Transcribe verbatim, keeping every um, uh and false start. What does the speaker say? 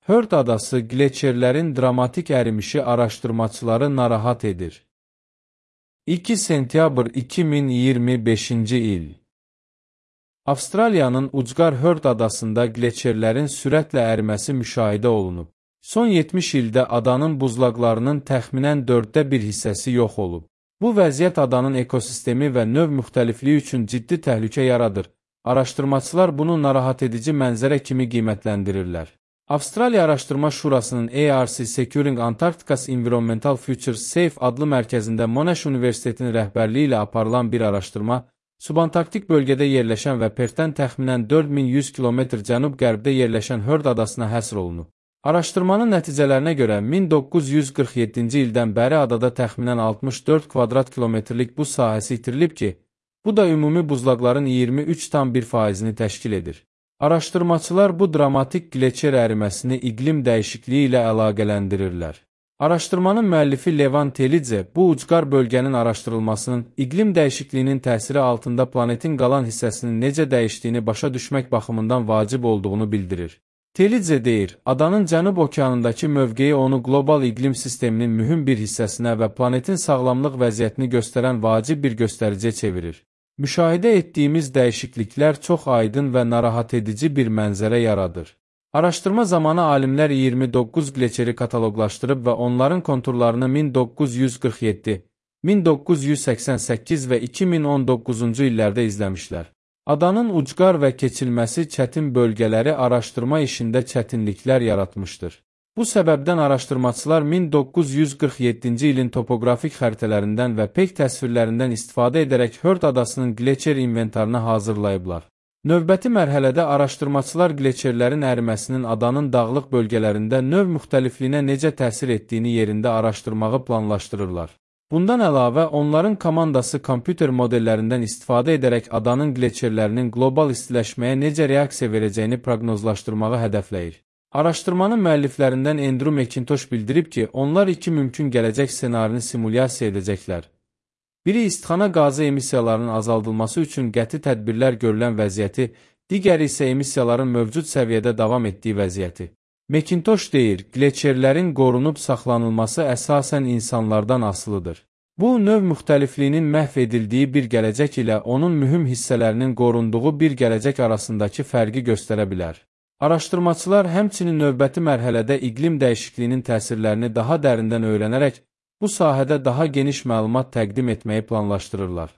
Hörd adası qleçerlərin dramatik ərimişi araşdırmaçıları narahat edir. iki sentyabr iki min iyirmi beşinci il. Avstraliyanın ucqar Hörd adasında qleçerlərin sürətlə əriməsi müşahidə olunub. Son yetmiş ildə adanın buzlaqlarının təxminən dörddə bir hissəsi yox olub. Bu vəziyyət adanın ekosistemi və növ müxtəlifliyi üçün ciddi təhlükə yaradır. Araşdırmaçılar bunu narahat edici mənzərə kimi qiymətləndirirlər. Avstraliya Araşdırma Şurasının A R C Securing Antarctica's Environmental Futures Safe adlı mərkəzində Monash Universitetinin rəhbərliyi ilə aparılan bir araşdırma, subantarktik bölgədə yerləşən və Pertdən təxminən dörd min yüz kilometr cənub-qərbdə yerləşən Hörd adasına həsr olunub. Araşdırmanın nəticələrinə görə min doqquz yüz qırx yeddinci ildən bəri adada təxminən altmış dörd kvadrat kilometrlik buz sahəsi itirilib ki, bu da ümumi buzlaqların iyirmi üç tam bir faizini təşkil edir. Araşdırmaçılar bu dramatik qleçer əriməsini iqlim dəyişikliyi ilə əlaqələndirirlər. Araşdırmanın müəllifi Levan Telidze bu ucqar bölgənin araşdırılmasının iqlim dəyişikliyinin təsiri altında planetin qalan hissəsinin necə dəyişdiyini başa düşmək baxımından vacib olduğunu bildirir. Telidze deyir, adanın Cənub okeanındakı mövqeyi onu qlobal iqlim sisteminin mühüm bir hissəsinə və planetin sağlamlıq vəziyyətini göstərən vacib bir göstəriciyə çevirir. Müşahidə etdiyimiz dəyişikliklər çox aydın və narahat edici bir mənzərə yaradır. Araşdırma zamanı alimlər iyirmi doqquz qleçeri kataloqlaşdırıb və onların konturlarını min doqquz yüz qırx yeddi, min doqquz yüz səksən səkkiz və iki min on doqquzuncu illərdə izləmişlər. Adanın ucqar və keçilməsi çətin bölgələri araşdırma işində çətinliklər yaratmışdır. Bu səbəbdən araşdırmaçılar min doqquz yüz qırx yeddinci ilin topoqrafik xəritələrindən və peyk təsvirlərindən istifadə edərək Hörd adasının qleçer inventarını hazırlayıblar. Növbəti mərhələdə araşdırmaçılar qleçerlərin əriməsinin adanın dağlıq bölgələrində növ müxtəlifliyinə necə təsir etdiyini yerində araşdırmağı planlaşdırırlar. Bundan əlavə, onların komandası kompüter modellərindən istifadə edərək adanın qleçerlərinin qlobal istiləşməyə necə reaksiya verəcəyini proqnozlaşdırmağı hədəfləyir. Araşdırmanın müəlliflərindən Andrew McIntosh bildirib ki, onlar iki mümkün gələcək ssenarini simulyasiya edəcəklər. Biri istixana qazı emissiyalarının azaldılması üçün qəti tədbirlər görülən vəziyyəti, digəri isə emissiyaların mövcud səviyyədə davam etdiyi vəziyyəti. McIntosh deyir, qleçerlərin qorunub saxlanılması əsasən insanlardan asılıdır. Bu, növ müxtəlifliyinin məhv edildiyi bir gələcək ilə onun mühüm hissələrinin qorunduğu bir gələcək arasındakı fərqi göstərə bilər. Araşdırmaçılar həmçinin növbəti mərhələdə iqlim dəyişikliyinin təsirlərini daha dərindən öyrənərək bu sahədə daha geniş məlumat təqdim etməyi planlaşdırırlar.